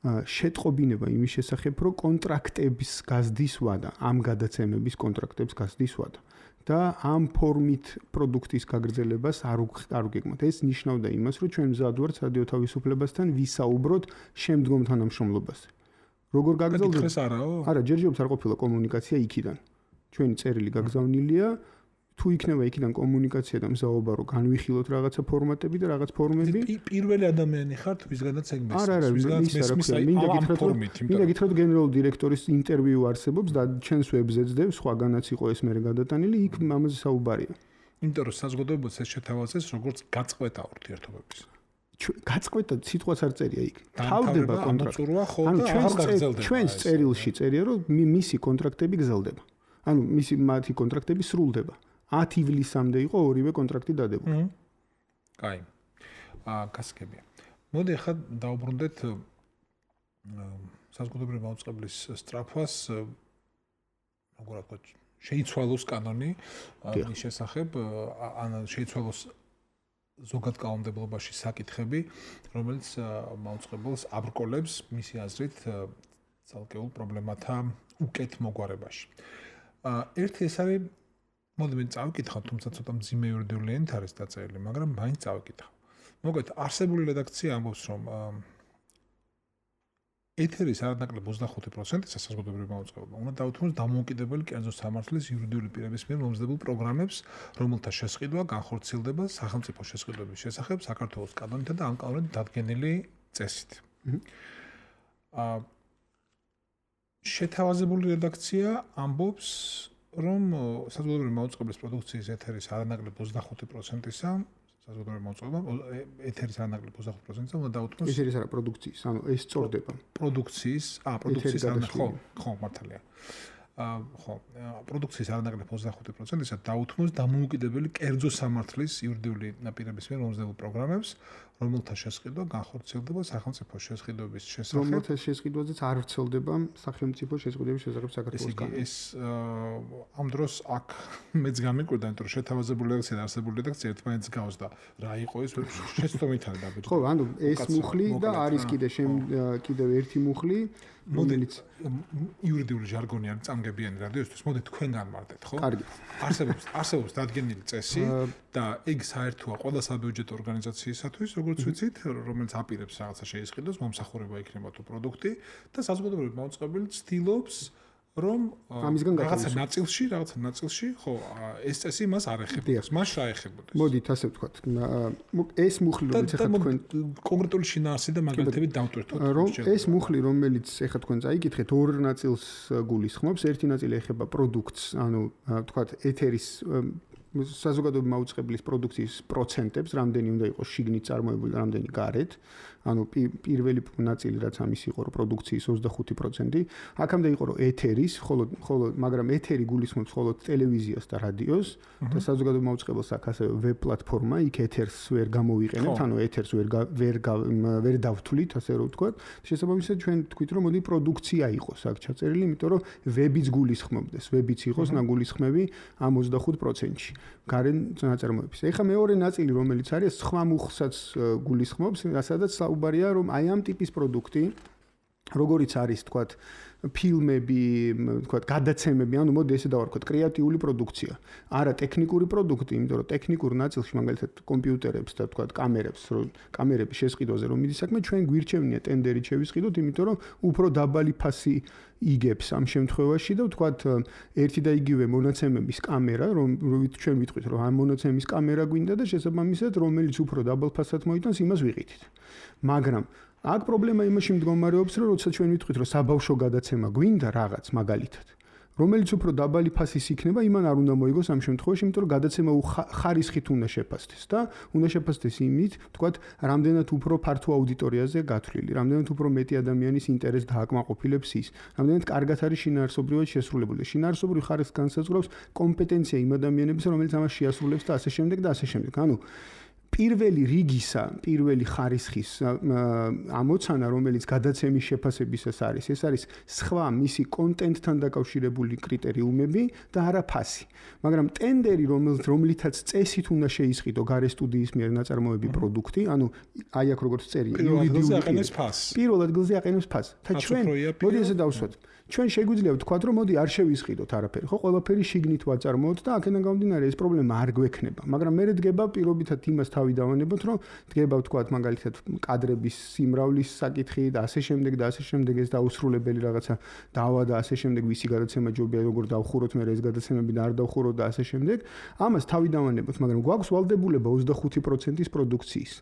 შეტყობინება იმის შესახებ, რომ კონტრაქტების გაზრდის ვადა, ამ გადაცემების კონტრაქტებს გაზრდის ვადა და ამ ფორმით პროდუქტის გაგრძელებას არ არ უგეგმოთ. ეს ნიშნავდა იმას, რომ ჩვენ მზად ვართ რადიო თავისუფლებასთან ვისაუბროთ შემდგომ თანამშრომლობაზე. როგორ გაგრძელდება? ეს არაო? არა, ჯერჯერობით არ ყოფილა კომუნიკაცია იქიდან. ჩვენი წერილი გაგზავნილია, თუ იქნება იქიდან კომუნიკაცია და მზაობა, რომ განვიხილოთ რაღაცა ფორმატები და რაღაც ფორმები. პირველი ადამიანი ხართ, ვისგანაც ეგ მესმის. არა, არა, ვისგანაც მესმის, მინდა გითხრათ, რომ მინდა გითხრათ, გენერალური დირექტორის ინტერვიუ არსებობს და ჩვენს ვებზე ძდებს, სხვაგანაც იყო ეს მერე გადატანილი, იქ ამაზე საუბარია. იმიტომ რომ საზოგადოებას ეს შეთავაზეს, როგორც გაწყვეტა ურთიერთობების. გაწყვეტა სიტყვაც არ წერია იქ. თავდება კონტრაქტი. ანუ ჩვენს წერილში წერია, რომ მისი კონტრაქტები გრძელდება. ანუ მისი მათი კონტრაქტები სრულდება. ათი ივლისამდე იყო ორივე კონტრაქტი დადებული. კაი. აა გასაგებია. მოდი ახლა დავუბრუნდეთ საზოგადოებრივი მაუწყებლის სწრაფვას, როგორ ვთქვათ, შეიცვალოს კანონი მის შესახებ, ან შეიცვალოს ზოგად კანონმდებლობაში საკითხები, რომელიც მაუწყებელს აბრკოლებს მისი აზრით ცალკეულ პრობლემათა უკეთ მოგვარებაში. ერთი ეს არის, მოდი მე წავიკითხავ, თუმცა ცოტა მძიმე იურიდიული ენით არის დაწერილი, მაგრამ მაინც წავიკითხავ. მოგეთ, არსებული რედაქცია ამბობს, რომ ეთერის არანაკლებ ოცდახუთი პროცენტი საზოგადოებრივი მაუწყებელობა უნდა დაუთმოს დამოუკიდებელი კერძო სამართლის იურიდიული პირების მიერ მომზადებულ პროგრამებს, რომელთა შესყიდვა განხორციელდება სახელმწიფო შესყიდვების შესახებ საქართველოს კანონითა და ამ კანონით დადგენილი წესით. აა შეთავაზებული რედაქცია ამბობს, რომ საზოგადოებრივი მაუწყებლის პროდუქციის ეთერის არანაკლებ ოცდახუთი პროცენტისა საზოგადოებრივი მაუწყებლობა ეთერის არანაკლებ ოცდახუთი პროცენტისა უნდა დაუთმოს ეთერის არა პროდუქციის, ანუ ეს სწორდება. პროდუქციის, აა პროდუქციის არანაკლებ ხო, ხო, მართალია. აა ხო, პროდუქციის არანაკლებ ოცდახუთი პროცენტისა დაუთმოს დამოუკიდებელი კერძო სამართლის იურიდიული პირების მიერ მომზადებულ პროგრამებს, რომელთა შესყიდვა განხორციელდება სახელმწიფო შესყიდვების შესახებ. რომელთა შესყიდვაზეც არ ვრცელდება სახელმწიფო შესყიდვების შესახებ საქართველოს კანონი. ეს ამ დროს აქ მეც გამიკვირდა, იმიტომ რომ შეთავაზებული რედაქცია და არსებული რედაქცია ერთმანეთს გავს და რა იყო ეს შეცდომით არის დაბეჭდი. ხო, ანუ ეს მუხლი და არის კიდე კიდევ ერთი მუხლი, რომელიც იურიდიული ჟარგონი არის წამგებიანი რადიოსთვის. მოდი თქვენ განმარტეთ, ხო? კარგი. არსებობს არსებობს დადგენილი წესი და ეგ საერთოა ყველა საბიუჯეტო ორგანიზაციისათვის, როგორც ვიცით, რომელიც აპირებს რაღაცა შეისყიდოს, მომსახურება იქნება თუ პროდუქტი და საზოგადოებრივი მაუწყებელი ცდილობს რომ რაღაცა ნაწილში, რაღაცა ნაწილში, ხო, ეს წესი მას არ ეხებოდეს. მას რა ეხებოდეს? მოდით ასე ვთქვათ. ეს მუხლი, რომელიც ახლა თქვენ კონკრეტული შინაარსი და მაგალითებით დავტვირთოთ. რომ ეს მუხლი, რომელიც ახლა თქვენ წაიკითხეთ, ორ ნაწილს გულისხმობს. ერთი ნაწილი ეხება პროდუქტს, ანუ ვთქვათ, ეთერის საზოგადოებრივი მაუწყებლის პროდუქციის პროცენტებს, რამდენი უნდა იყოს შიგნით წარმოებული, რამდენი გარეთ. ანუ პირველი ნაწილი რაც ამის იყო, რომ პროდუქციის ოცდახუთი პროცენტი, აქამდე იყო, რომ ეთერის, ხოლო ხოლო მაგრამ ეთერი გულისხმობს მხოლოდ ტელევიზიას და რადიოს და საზოგადოებრივი მაუწყებელს აქვს ასევე ვებ პლატფორმა, იქ ეთერს ვერ გამოვიყენებთ, ანუ ეთერს ვერ ვერ ვერ დავთვლით, ასე რომ ვთქვათ. შესაბამისად ჩვენ თქვით, რომ მოდი პროდუქცია იყოს აქ ჩაწერილი, იმიტომ რომ ვებიც გულისხმობდეს, ვებიც იყოს ნაგულისხმები ამ ოცდახუთ პროცენტში. გარენ ნაწარმოების. ეხლა მეორე ნაწილი, რომელიც არის სხვა მუხლსაც გულისხმობს, სადაც საუბარია, რომ აი ამ ტიპის პროდუქტი, როგორიც არის, თქვათ, ფილმები, თქვათ, გადაცემები, ანუ მოდი ესე დავარქვათ, კრეატიული პროდუქცია. არა ტექნიკური პროდუქტი, იმიტომ რომ ტექნიკურ ნაწილში, მაგალითად, კომპიუტერებს და თქვათ, კამერებს, რომ კამერების შესყიდვაზე რომ მიდის საქმე, ჩვენ გვირჩევნია ტენდერით შევისყიდოთ, იმიტომ რომ უფრო დაბალი ფასი იგებს ამ შემთხვევაში და ვთქვათ, ერთი და იგივე მონაცემების კამერა, რომ ჩვენ ვიტყვით, რომ ამ მონაცემის კამერა გვინდა და შესაბამისად, რომელიც უფრო დაბალ ფასად მოიტანს, იმას ვიყიდით. მაგრამ აქ პრობლემა იმაში მდგომარეობს, რომ როცა ჩვენ ვიტყვით, რომ საბავშვო გადაცემა გვინდა რაღაც მაგალითად, რომელიც უფრო დაბალი ფასის იქნება, იმან არ უნდა მოიგოს ამ შემთხვევაში, იმიტომ რომ გადაცემა ხარისხით უნდა შეფასდეს და უნდა შეფასდეს იმით, თქვათ, რამდენად უფრო ფართო აუდიტორიაზე გათვლილი, რამდენად უფრო მეტი ადამიანის ინტერესს დააკმაყოფილებს ის, რამდენად კარგად არის შინაარსობრივად შესრულებული. შინაარსობრივი ხარისხი განსაზღვრავს კომპეტენცია იმ ადამიანების, რომელიც ამას შეასრულებს და ასე შემდეგ და ასე შემდეგ. ანუ პირველი რიგისა, პირველი ხარისხის ამოცანა, რომელიც გადაცემის შეფასებისას არის, ეს არის სხვა მისი კონტენტთან დაკავშირებული კრიტერიუმები და არა ფასი. მაგრამ ტენდერი, რომელთაც წესით უნდა შეისყიდო გარე სტუდიის მიერ ნაწარმოები პროდუქტი, ანუ აი აქ როგორც წერია, იურიდიული აყენებს ფასს. პირველ ადგილზე აყენებს ფასს. და ჩვენ მოდი ესე დავსვათ. ჩვენ შეგვიძლია ვთქვათ, რომ მოდი არ შევისყიდოთ არაფერი, ხო, ყველაფერი შიგნით ვაწარმოოთ და აქედან გამომდინარე ეს პრობლემა არ გვექნება. მაგრამ მე დგება პირობითად იმას თავი დავანებოთ, რომ დგება ვთქვათ, მაგალითად, კადრების სიმრავლის საკითხი და ასე შემდეგ და ასე შემდეგ ეს დაუსრულებელი რაღაცა დავა და ასე შემდეგ ვისი გადაცემა ჯობია როგორ დავხუროთ მე ეს გადაცემები და არ დავხუროთ და ასე შემდეგ. ამას თავი დავანებოთ, მაგრამ გვაქვს ვალდებულება ოცდახუთი პროცენტის პროდუქციის.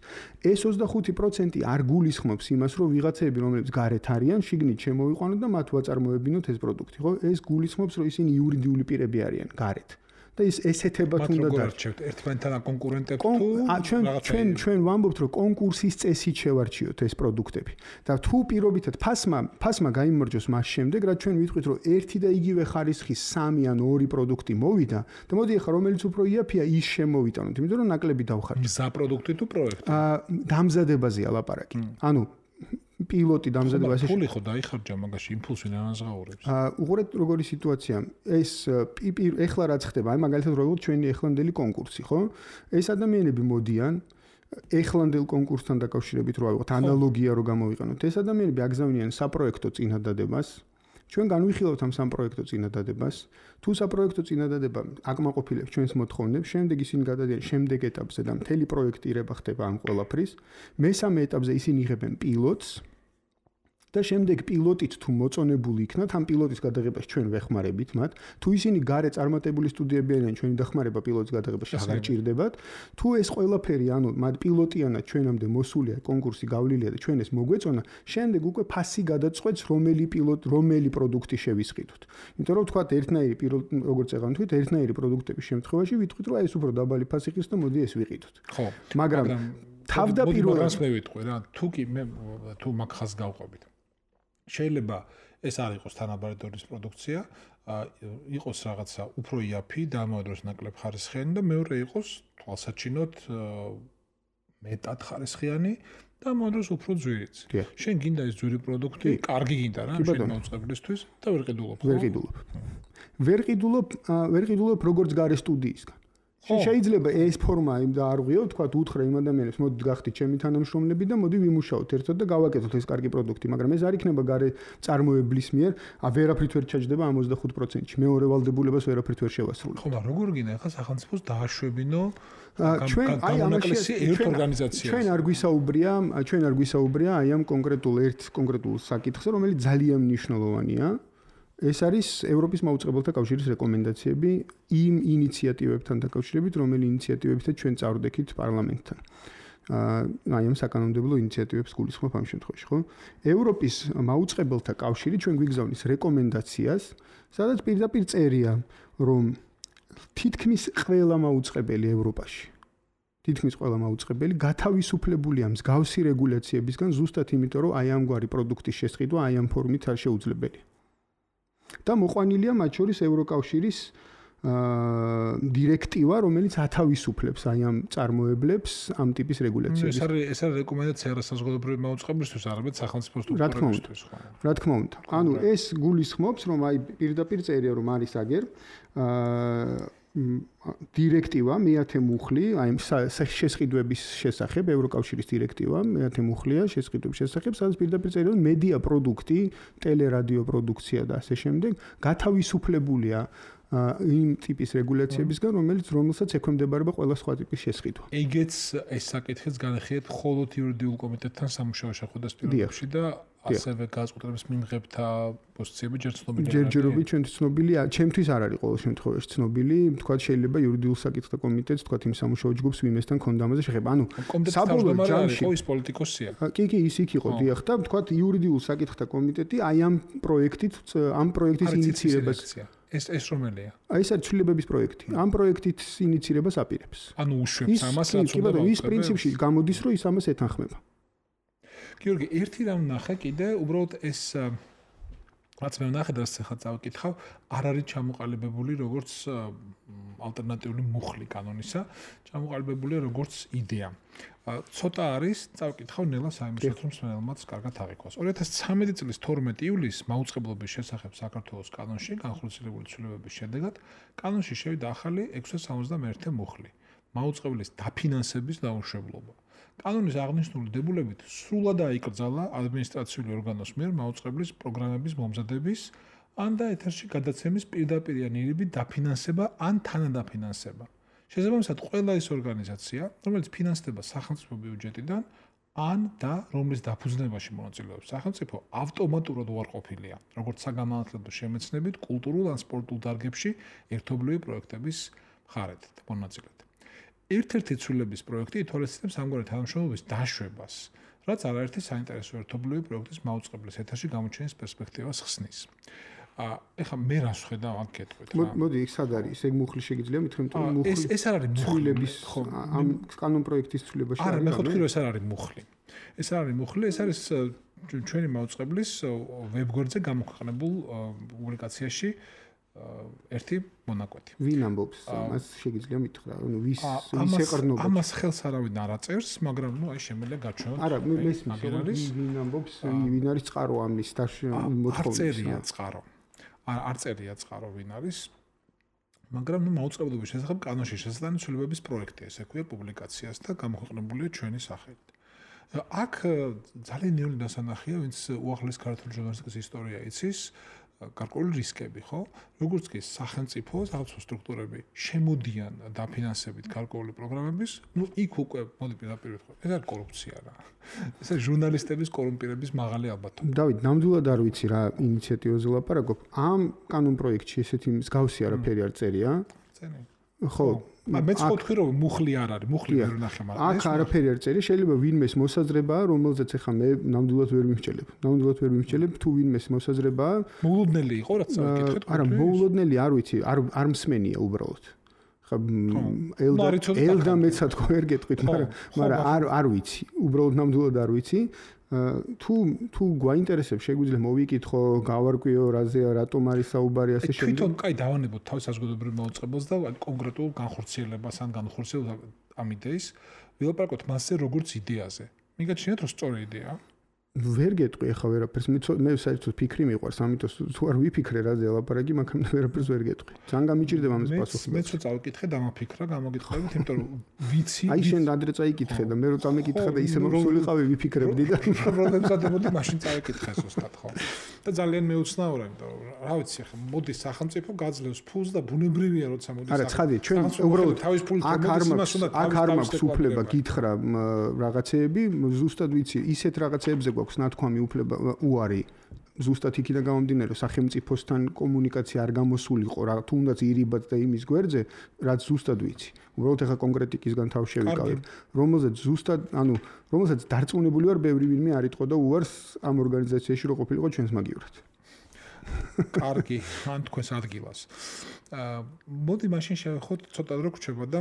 ეს ოცდახუთი პროცენტი არ გულისხმობს იმას, რომ ვიღაცები, რომლებიც გარეთ არიან, შიგნით შემოვიყვანოთ და მათ ვაწარმოებთ ბინოთ ეს პროდუქტი, ხო? ეს გულისხმობს, რომ ისინი იურიდიული პირები არიან გარეთ. და ის ესეთებად უნდა დარჩევთ. ერთმანეთთან აკონკურენტებთ თუ ჩვენ ჩვენ ჩვენ ვამბობთ, რომ კონკურსის წესით შევარჩიოთ ეს პროდუქტები. და თუ პირობითად ფასმა ფასმა გაიმარჯვოს მას შემდეგ, რაც ჩვენ ვიტყვით, რომ ერთი და იგივე ხარისხის სამი ან ორი პროდუქტი მოვიდა და მოდი ახლა რომელიც უფრო იაფია, ის შემოვიტანოთ, იმიტომ რომ ნაკლები დავხარჯოთ. მზა პროდუქტი თუ პროექტი? აა დამზადებაზეა ლაპარაკი. ანუ პილოტი დამზადებაში ფული ხო დაიხარჯა მაგაში იმპულსი ნანაზღაურებს. აა უყურეთ როგორი სიტუაცია. ეს ეხლა რაც ხდება, აი მაგალითად როგორც ჩვენი ეხლანდელი კონკურსი, ხო? ეს ადამიანები მოდიან ეხლანდელ კონკურსთან დაკავშირებით რო ავიღოთ ანალოგია რო გამოვიყენოთ. ეს ადამიანები აგზავნიან საპროექტო წინადადებას. ჩვენ განვიხილავთ ამ სამ პროექტო წინადადებას. თუ საპროექტო წინადადება აკმაყოფილებს ჩვენს მოთხოვნებს, შემდეგ ისინი გადადიან შემდეგ ეტაპზე და მთელი პროექტირება ხდება ამ ყველაფრის. მესამე ეტაპზე ისინი იღებენ პილოტს და შემდეგ პილოტით თუ მოწონებული იქნათ, ამ პილოტის გადაღებას ჩვენ ვეხმარებით მათ. თუ ისინი გარე წარმატებული სტუდიები არიან, ჩვენი დახმარება პილოტის გადაღებაში აღარ ჭირდებათ. თუ ეს ყველაფერი, ანუ მათ პილოტიანად ჩვენამდე მოსულია, კონკურსი გავლილია და ჩვენ ეს მოგვეწონა, შემდეგ უკვე ფასი გადაწყვეტს, რომელი პილოტ, რომელი პროდუქტი შევისყიდოთ. იმიტომ რომ თქვათ, ერთნაირი პილოტი, როგორც ეღან თქვით, ერთნაირი პროდუქტების შემთხვევაში ვიტყვით, რომ აი ეს უფრო დაბალი ფასი ხის და მოდი ეს ვიყიდოთ. ხო, მაგრამ თავდაპირველად მას მე ვიტყვი რა, თუ კი მე თუ მაგ ხას გავყვებით. შეიძლება ეს არ იყოს თანაბარი პროდუქცია, იყოს რაღაცა უფრო იაფი, დამოადროს ნაკლებ ხარისხიანი და მეორე იყოს თვალსაჩინოდ მეტად ხარისხიანი და მომდროს უფრო ძვირიც. შენ გინდა ეს ძვირი პროდუქტი, კარგი გინდა რა, შენ მოწყებლისთვის და ვერ ყიდულობ. ვერ ყიდულობ. ვერ ყიდულობ, ვერ ყიდულობ როგორც გარე სტუდიისგან. შეიძლება ეს ფორმა იმ და არ ვღიო, თქვა უთხრა იმ ადამიანებს, მოდით გახდით ჩემი თანამშრომლები და მოდი ვიმუშაოთ ერთად და გავაკეთოთ ეს კარგი პროდუქტი, მაგრამ ეს არ იქნება გარე წარმოებლის მიერ, ა ვერაფრით ვერ ჩაჯდება ამ ოცდახუთ პროცენტში. მეორე ვალდებულებას ვერაფრით ვერ შევასრულებ. ხო, მაგრამ როგორ გინდა ახლა სახელმწიფოს დააშვებინო ჩვენ აი ამაში ერთ ორგანიზაციას. ჩვენ არ გვისაუბრია, ჩვენ არ გვისაუბრია აი ამ კონკრეტულ ერთ კონკრეტულ საკითხზე, რომელიც ძალიან მნიშვნელოვანია. ეს არის ევროპის მაუწყებელთა კავშირის რეკომენდაციები იმ ინიციატივებთან დაკავშირებით, რომელი ინიციატივებითაც ჩვენ წავდექით პარლამენტთან. აი ამ საკანონმდებლო ინიციატივებს გულისხმობ ამ შემთხვევაში, ხო? ევროპის მაუწყებელთა კავშირი ჩვენ გვიგზავნის რეკომენდაციას, სადაც პირდაპირ წერია, რომ თითქმის ყველა მაუწყებელი ევროპაში თითქმის ყველა მაუწყებელი გათავისუფლებულია მსგავსი რეგულაციებისგან ზუსტად იმიტომ, რომ აი ამგვარი პროდუქტის შესყიდვა აი ამ ფორმით არ შეუძლებელია. და მოყვანილია მათ შორის ევროკავშირის დირექტივა, რომელიც ათავისუფლებს აი ამ წარმოებლებს ამ ტიპის რეგულაციებს. ეს არის ეს არის რეკომენდაცია რასაზღვრებრივი მაუწყებლისთვის, არამედ სახელმწიფო სტრუქტურებისთვის, ხო? რა თქმა უნდა. ანუ ეს გულისხმობს, რომ აი პირდაპირ წერია, რომ არის აგერ აა დირექტივა მეათე მუხლი, აი შესყიდვების შესახებ, ევროკავშირის დირექტივა მეათე მუხლია შესყიდვების შესახებ, სადაც პირდაპირ წერია, რომ მედია პროდუქტი, ტელერადიო პროდუქცია და ასე შემდეგ გათავისუფლებულია იმ ტიპის რეგულაციებისგან, რომელიც რომელსაც ექვემდებარება ყველა სხვა ტიპის შესყიდვა. ეგეც ეს საკითხიც განხიეთ მხოლოდ იურიდიულ კომიტეტთან სამუშაო შეხვედრას პირობებში და ასევე გაზღუდების მიმღებთა პოზიციები ჯერ ცნობილია. ჯერჯერობით ჩვენთვის ცნობილია, ჩემთვის არ არის ყოველ შემთხვევაში ცნობილი, თქვა შეიძლება იურიდიულ საკითხთა კომიტეტს, თქვა იმ სამუშაო ჯგუფს ვიმესთან ქონდა ამაზე შეხება. ანუ საბოლოო ჯამში ის პოლიტიკოსია. კი, კი, ის იქ იყო, დიახ, და თქვა იურიდიულ საკითხთა კომიტეტი აი ამ პროექტით, ამ პროექტის ინიციირებას ეს ეს რომელია? აი ეს არის ცვლილებების პროექტი. ამ პროექტით ინიცირებას აპირებს. ანუ უშვებს ამას რაც უნდა და ის პრინციპში გამოდის, რომ ის ამას ეთანხმება. გიორგი, ერთი რამ ნახე კიდე, უბრალოდ ეს რაც მე ვნახე და ახლა წავიკითხავ, არ არის ჩამოყალიბებული როგორც ალტერნატიული მუხლი კანონისა, ჩამოყალიბებულია როგორც იდეა. ცოტა არის, წავიკითხავ ნელა საიმუშაოდ რომ მსმენელმაც კარგად აღიქواس. ორი ათას ცხრამეტი წლის თორმეტი ივლისს მაუწყებლობის შესახებ საქართველოს კანონში განხორციელებული ცვლილებების შედეგად კანონში შევიდა ახალი ექვსას სამოცდამეერთე მუხლი, მაუწყებლის დაფინანსების დაუშვებლობა. კანონის აღნიშნული დებულებით სრულად აიკრძალა ადმინისტრაციული ორგანოს მიერ მაუწყებლის პროგრამების მომზადების ან და ეთერში გადაცემის პირდაპირ ან ირიბი დაფინანსება ან თანადაფინანსება. შესაბამისად, ყველა ის ორგანიზაცია, რომელიც ფინანსდება სახელმწიფო ბიუჯეტიდან ან და რომლის დაფუძნებაში მონაწილეობს სახელმწიფო, ავტომატურად უარყოფილია, როგორც საგანმანათლებლო შემეცნებით, კულტურულ ან სპორტულ დარგებში ერთობლივი პროექტების მხარეთ და მონაწილედ. ერთ-ერთი ცვლილების პროექტი ითვალისწინებს ამგვარი თანამშრომლობის დაშვებას, რაც არაერთი საინტერესო ერთობლივი პროექტის მაუწყებლის ეთერში გამოჩენის პერსპექტივას ხსნის. ეხლა მე რას ხედავ აქ გეტყვით რა. მოდი, ის სად არის? ეგ მუხლი შეგიძლია მithქვი, რომ მუხლი ეს ეს არ არის ცვლილების ამ კანონ პროექტის ცვლილებაში არა, მე ხოთქი რომ ეს არ არის მუხლი. ეს არ არის მუხლი, ეს არის ჩვენი მაუწყებლის ვებგვერდზე გამოქვეყნებულ პუბლიკაციაში ერთი მონაკვეთი. ვინ ამბობს? მას შეგიძლია მითხრა, ანუ ვის ვის ეყრდნობა? ამას ხელს არავინ არ აწერს, მაგრამ ნუ აი შემიძლია გაჩვენოთ. არა, მე მესმის, ვინ ამბობს, ვინ არის წყარო ამის მოთხოვნის? არ წერია წყარო. არ წერია წყარო ვინ არის. მაგრამ ნუ მაუწყებლობის შესახებ კანონში შესაძლებელი ცვლილებების პროექტია, ესე ქვია პუბლიკაციას და გამოქვეყნებულია ჩვენი სახელით. აქ ძალიან ნეული დასანახია, ვინც უახლეს ქართული ჟურნალისტიკის ისტორია იცის, გარკვეული რისკები, ხო? როგორც კი სახელმწიფო, სახელმწიფო სტრუქტურები შემოდიან დაფინანსებით გარკვეული პროგრამების, ნუ იქ უკვე მოდი პირდაპირ ვთქვა, ეს არის კორუფცია რა. ეს არის ჟურნალისტების კორუმპირების მაღალი ალბათობა. დავით, ნამდვილად არ ვიცი რა ინიციატივაზე ლაპარაკობ. ამ კანონ პროექტში ესეთი მსგავსი არაფერი არ წერია? წერია. ხო, მეც ვთქვი რომ მუხლი არ არის, მუხლი ვერ ვნახე, მაგრამ აქ არაფერი არ წერია, შეიძლება ვინმეს მოსაზრებაა, რომელზეც ახლა მე ნამდვილად ვერ მიმსჯელებ. ნამდვილად ვერ მიმსჯელებ, თუ ვინმეს მოსაზრებაა. მოულოდნელი იყო რაც წავიკითხეთ. არა, მოულოდნელი არ ვიცი, არ არ მსმენია უბრალოდ. ხა ელდა ელდა მეცად ხო ვერ გეტყვით, მაგრამ მაგრამ არ არ ვიცი, უბრალოდ ნამდვილად არ ვიცი. თუ თუ გვაინტერესებს, შეგვიძლია მოვიკითხო, გავარკვიო, რაზეა, რატომ არის საუბარი ასე შემდეგ. თვითონ კაი დავანებოთ თავის საზოგადოებრივ მოუწყებელს და კონკრეტულ განხორციელებას ან განხორციელებას ამ იდეის ვილაპარაკოთ მასზე როგორც იდეაზე. მიგაჩნიათ რომ სწორი იდეაა? ვერ გეტყვი ახლა ვერაფერს, მე საერთოდ ფიქრი მიყვარს, ამიტომ თუ არ ვიფიქრე რაზე ლაპარაკი, მაგრამ ვერაფერს ვერ გეტყვი. ძალიან გამიჭირდება ამის პასუხი. მეც რო წავიკითხე, დამაფიქრა, გამოგიტყევით, იმიტომ რომ ვიცი. აი შენ ადრე წაიკითხე და მე რო წამეკითხე და ისე მოსულიყავი ვიფიქრებდი და პრობლემსადმოდი მაშინ წავიკითხე ზუსტად ხო. და ძალიან მეუცნაურა, იმიტომ რომ რა ვიცი, ახლა მოდი სახელმწიფო გაძლევს ფულს და ბუნებრივია როცა მოდი სახელმწიფო. არა, ცხადია, ჩვენ უბრალოდ თავის ფულით მოდის იმას უნდა თავის აქ არ მაქვს უფლება გითხრა რაღაცეები, ზუსტად ვიცი, ისეთ რაღაცეებზე გვაქვს ნათქვამი უფლება უარი. ზუსტად იქიდან გამომდინარე, სახელმწიფოსთან კომუნიკაცია არ გამოსულიყო რა, თუნდაც ირიბად და იმის გვერდზე, რაც ზუსტად ვიცი. უბრალოდ ახლა კონკრეტიკისგან თავ შევიკავებ, რომელზეც ზუსტად, ანუ რომელზეც დარწმუნებული ვარ, ბევრი ვინმე არ იტყოდა უარს ამ ორგანიზაციაში რო ყოფილიყო ჩვენს მაგივრად. კარგი, ან თქვენს ადგილას. აა მოდი მაშინ შევეხოთ ცოტა დრო გრჩება და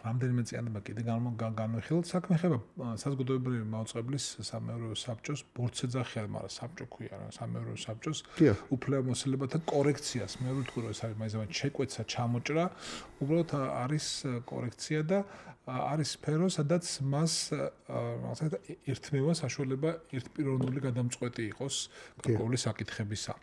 რამდენიმე წიანობა კიდე განვიხილოთ. საქმე ხება საზოგადოებრივი მაუწყებლის სამეურვეო საბჭოს ბორცეძახიან, მაგრამ საბჭო ქვია რა, სამეურვეო საბჭოს უფლებამოსილებათა კორექციას. მე ვთქვი რომ ეს არის მაინც შეკვეცა, ჩამოჭრა, უბრალოდ არის კორექცია და არის სფერო, სადაც მას რაღაცა ერთმევა საშუალება ერთპიროვნული გადამწყვეტი იყოს გარკვეული საკითხებისა.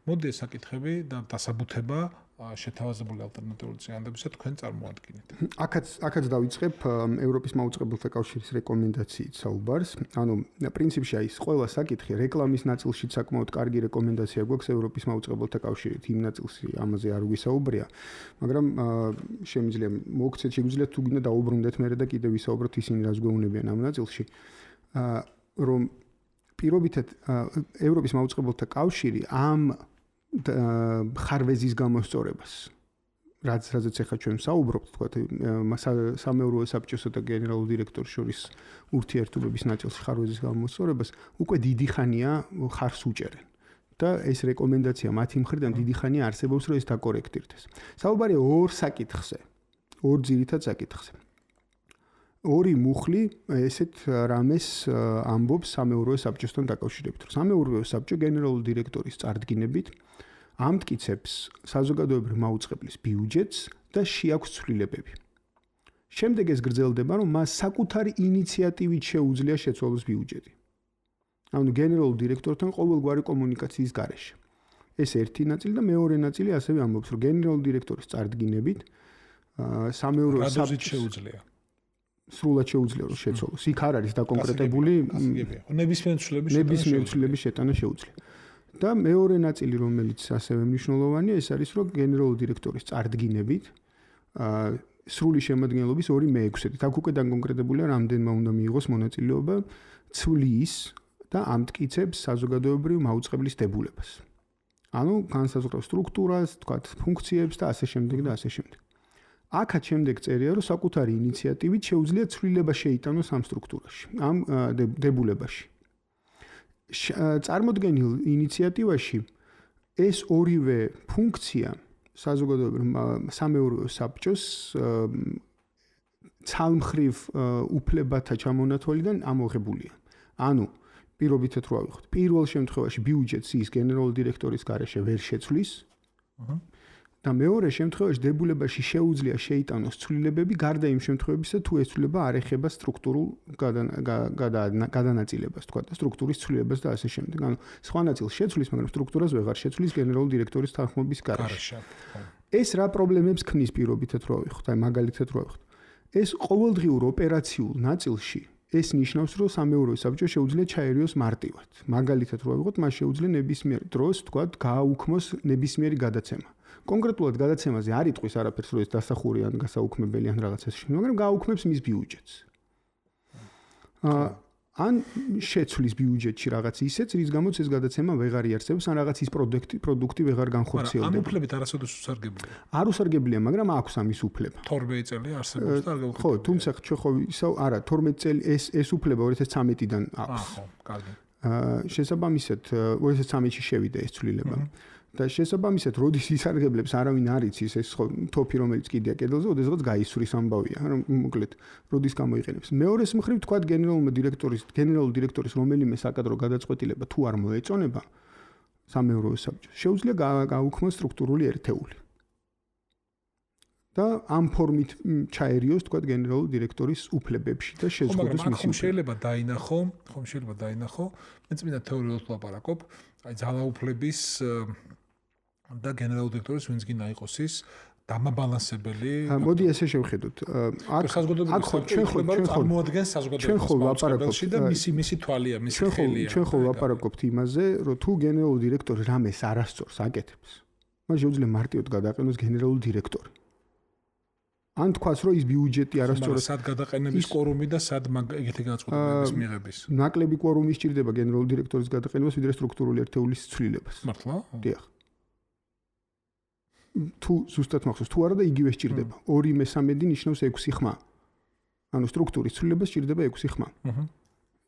მოდი ეს საკითხები და დასაბუთება შეთავაზებული ალტერნატიული წინადადებისა თქვენ წარმოადგენთ. აქაც აქაც დავიწყებ ევროპის მაუწყებელთა კავშირის რეკომენდაციით საუბარს. ანუ პრინციპში აი ეს ყველა საკითხი რეკლამის ნაწილში საკმაოდ კარგი რეკომენდაცია გვაქვს ევროპის მაუწყებელთა კავშირით. იმ ნაწილში ამაზე არ ვისაუბრია, მაგრამ შემიძლია მოგცეთ, შეგვიძლია თუ გინდა დაუბრუნდეთ მერე და კიდევ ვისაუბროთ ისინი რას გვეუბნებიან ამ ნაწილში. რომ პირობითად ევროპის მაუწყებელთა კავშირი ამ ხარვეზის გამოსწორებას რაც რაზეც ახლა ჩვენ საუბრობთ, თქვა სამეურვეო საბჭოსა და გენერალურ დირექტორს შორის ურთიერთობების ნაწილში ხარვეზის გამოსწორებას უკვე დიდი ხანია ხარს უჭერენ. და ეს რეკომენდაცია მათი მხრიდან დიდი ხანია არსებობს, რომ ეს დაკორექტირდეს. საუბარია ორ საკითხზე, ორ ძირითად საკითხზე. ორი მუხლი ესეთ რამეს ამბობს სამეურვეო საბჭოსთან დაკავშირებით. სამეურვეო საბჭო გენერალური დირექტორის წარდგინებით ამტკიცებს საზოგადოებრივ მაუწყებლის ბიუჯეტს და შეაქვს ცვლილებები. შემდეგ ეს გრძელდება, რომ მას საკუთარი ინიციატივით შეუძლია შეცვალოს ბიუჯეტი. ანუ გენერალურ დირექტორთან ყოველგვარი კომუნიკაციის გარეშე. ეს ერთი ნაწილი და მეორე ნაწილი ასევე ამბობს, რომ გენერალურ დირექტორის წარდგინებით სამეურვეო საბჭოს შეუძლია. სრულად შეუძლია რომ შეცვალოს. იქ არ არის დაკონკრეტებული ნებისმიერ ცვლილების ნებისმიერ ცვლილების შეტანა შეუძლია. და მეორე ნაწილი, რომელიც ასევე მნიშვნელოვანია, ეს არის, რომ გენერალური დირექტორის წარდგინებით სრული შემადგენლობის ორი მეექვსედით. აქ უკვე დაკონკრეტებულია, რამდენმა უნდა მიიღოს მონაწილეობა ცვლის და ამტკიცებს საზოგადოებრივ მაუწყებლის დებულებას. ანუ განსაზღვრავს სტრუქტურას, თქვათ, ფუნქციებს და ასე შემდეგ და ასე შემდეგ. აქაც შემდეგ წერია, რომ საკუთარი ინიციატივით შეუძლია ცვლილება შეიტანოს ამ სტრუქტურაში, ამ დებულებაში. წარმოდგენილ ინიციატივაში ეს ორივე ფუნქცია საზოგადოებრივ სამეურვეო საბჭოს ცალმხრივ უფლებათა ჩამონათვალიდან ამოღებულია. ანუ პირობითად რო ავიღოთ, პირველ შემთხვევაში ბიუჯეტს ის გენერალური დირექტორის გარეშე ვერ შეცვლის. აჰა. და მეორე შემთხვევაში დებულებაში შეუძლია შეიტანოს ცვლილებები გარდა იმ შემთხვევებისა, თუ ეს ცვლილება არ ეხება სტრუქტურულ გადანაწილებას, თქვა და სტრუქტურის ცვლილებას და ასე შემდეგ. ანუ სხვა ნაწილს შეცვლის, მაგრამ სტრუქტურას ვეღარ შეცვლის გენერალური დირექტორის თანხმობის გარეშე. ეს რა პრობლემებს ქმნის პირობითად რო ავიღოთ, აი მაგალითად რო ავიღოთ. ეს ყოველდღიურ ოპერაციულ ნაწილში ეს ნიშნავს, რომ სამეურვეო საბჭო შეუძლია ჩაერიოს მარტივად. მაგალითად რო ავიღოთ, მას შეუძლია ნებისმიერ დროს, თქვა, გააუქმოს ნებისმიერი გადაცემა. კონკრეტულად გადაცემაზე არ იტყვის არაფერს, რომ ეს დასახური ან გასაუქმებელი ან რაღაცა ისე, მაგრამ გააუქმებს მის ბიუჯეტს. ან შეცვლის ბიუჯეტში რაღაც ისეც, რის გამოც ეს გადაცემა ვეღარ იარსებობს, ან რაღაც ის პროდუქტი, პროდუქტი ვეღარ განხორციელდება. ამ უფლებით არასოდეს უსარგებლია. არ უსარგებლია, მაგრამ აქვს ამის უფლება. თორმეტი წელი არსებობს და არ გავუქმებია. ხო, თუმცა ჩვენ ხო ისევ არა, თორმეტი წელი ეს ეს უფლება ორი ათას ცხრამეტიდან აქვს. აა, ხო, კარგი. აა, შესაბამისად ორი ათას ცხრამეტში შევიდა ეს ცვლილება. და შესაბამისად, როდის ისარგებლებს არავინ არ იცის ეს ხო თოფი რომელიც კიდია კედელზე, ოდესღაც გაისვრის ამბავია, რომ მოკლედ როდის გამოიყენებს. მეორეს მხრივ თქვა გენერალურ დირექტორის, გენერალურ დირექტორის რომელიმე საკადრო გადაწყვეტილება თუ არ მოეწონება სამეურვეო საბჭოს, შეუძლია გააუქმოს სტრუქტურული ერთეული. და ამ ფორმით ჩაერიოს თქვა გენერალურ დირექტორის უფლებებში და შეზღუდოს მისი. ხომ შეიძლება დაინახო, ხომ შეიძლება დაინახო, მე წმინდა თეორიულად ვლაპარაკობ, აი ძალაუფლების და გენერალურ დირექტორის ვინც გინდა იყოს ის დამაბალანსებელი. მოდი ესე შევხედოთ. აქ აქ ხო ჩვენ ხო წარმოადგენს საზოგადოების მასშტაბში და მისი მისი თვალია, მისი ხელია. ჩვენ ხო ვლაპარაკობთ იმაზე, რომ თუ გენერალური დირექტორი რამეს არასწორს აკეთებს, მას შეუძლია მარტივად გადააყენოს გენერალური დირექტორი. ან თქვას, რომ ის ბიუჯეტი არასწორად სად გადაყენების კვორუმი და სად ეგეთი განწყობილების მიღების. ნაკლები კვორუმი სჭირდება გენერალური დირექტორის გადაყენებას, ვიდრე სტრუქტურული ერთეულის ცვლილებას. მართლა? დიახ. თუ ზუსტად მახსოვს, თუ არა და იგივე სჭირდება. ორი მესამედი ნიშნავს ექვსი ხმა. ანუ სტრუქტურის ცვლილებას სჭირდება ექვსი ხმა. აჰა.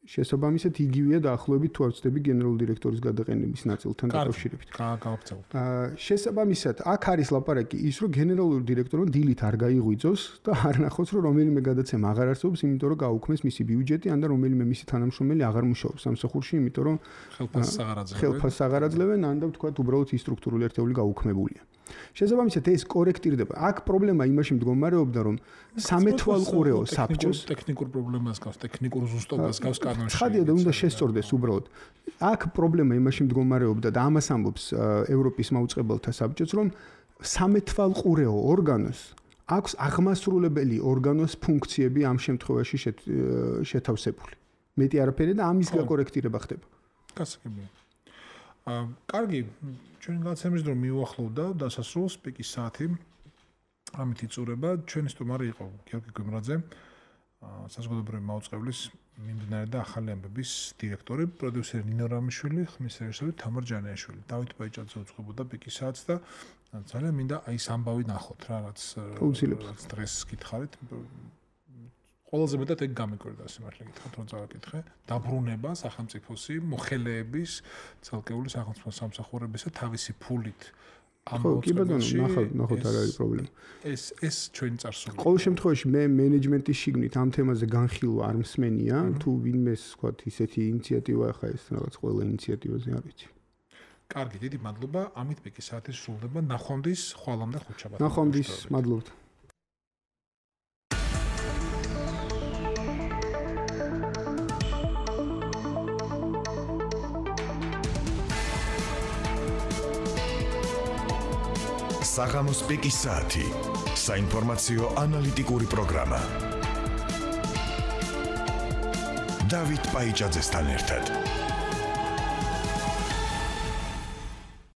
შესაბამისად იგივეა დაახლოებით თუ არ ვცდები გენერალური დირექტორის გადაყენების ნაწილთან დაკავშირებით. გააგავწევთ. აა შესაბამისად აქ არის ლაპარაკი ის, რომ გენერალური დირექტორმა დილით არ გაიღვიძოს და არ ნახოს, რომ რომელიმე გადაცემა აღარ არსებობს, იმიტომ რომ გაუქმეს მისი ბიუჯეტი, ან და რომელიმე მისი თანამშრომელი აღარ მუშაობს სამსახურში, იმიტომ რომ ხელფასს აღარ აძლევენ. ხელფასს აღარ აძლევენ, ან და ვთქვათ, უბრალოდ ის სტრუქტურული ერთეული გაუქმებულია. შესაბამისად ეს კორექტირდება. აქ პრობლემა იმაში მდგომარეობდა, რომ სამეთვალყურეო საბჭოს ტექნიკურ პრობლემას გავს, ტექნიკურ ზუსტობას გავს კანონში. ხადია და უნდა შესწორდეს უბრალოდ. აქ პრობლემა იმაში მდგომარეობდა და ამას ამბობს ევროპის მაუწყებელთა საბჭოც, რომ სამეთვალყურეო ორგანოს აქვს აღმასრულებელი ორგანოს ფუნქციები ამ შემთხვევაში შეთავსებული. მეტი არაფერი და ამის გაკორექტირება ხდება. გასაგებია. აა, კარგი, ჩვენ გაცემის დრო მიუახლოვდა დასასრულს პიკის საათი. ამით იწურება ჩვენი სტუმარი იყო გიორგი გვიმრაძე, საზოგადოებრივი მაუწყებლის მიმდინარე და ახალი ამბების დირექტორი, პროდიუსერი ნინო რამიშვილი, ხმის რეჟისორი თამარ ჯანეაშვილი. დავით ბაიჭაძე უძღვებოდა პიკის საათს და ძალიან მინდა აი ეს ამბავი ნახოთ რა, რაც დღეს გითხარით. ყველაზე მეტად ეგ გამიკვირდა სიმართლე გითხრათ რომ წავაკითხე დაბრუნება სახელმწიფოსი მოხელეების ცალკეული სახელმწიფო სამსახურებისა თავისი ფულით ამ მოწყებაში ნახავთ ნახოთ არ არის პრობლემა ეს ეს ჩვენი წარსული ყოველ შემთხვევაში მე მენეჯმენტის შიგნით ამ თემაზე განხილვა არ მსმენია თუ ვინმეს ვთქვათ ისეთი ინიციატივა ახლა ეს რაღაც ყველა ინიციატივაზე არ ვიცი კარგი დიდი მადლობა ამით პიკი საათი სრულდება ნახვამდის ხვალამდე ხუთშაბათს ნახვამდის მადლობთ საღამოს პიკის საათი საინფორმაციო ანალიტიკური პროგრამა დავით პაიჭაძესთან ერთად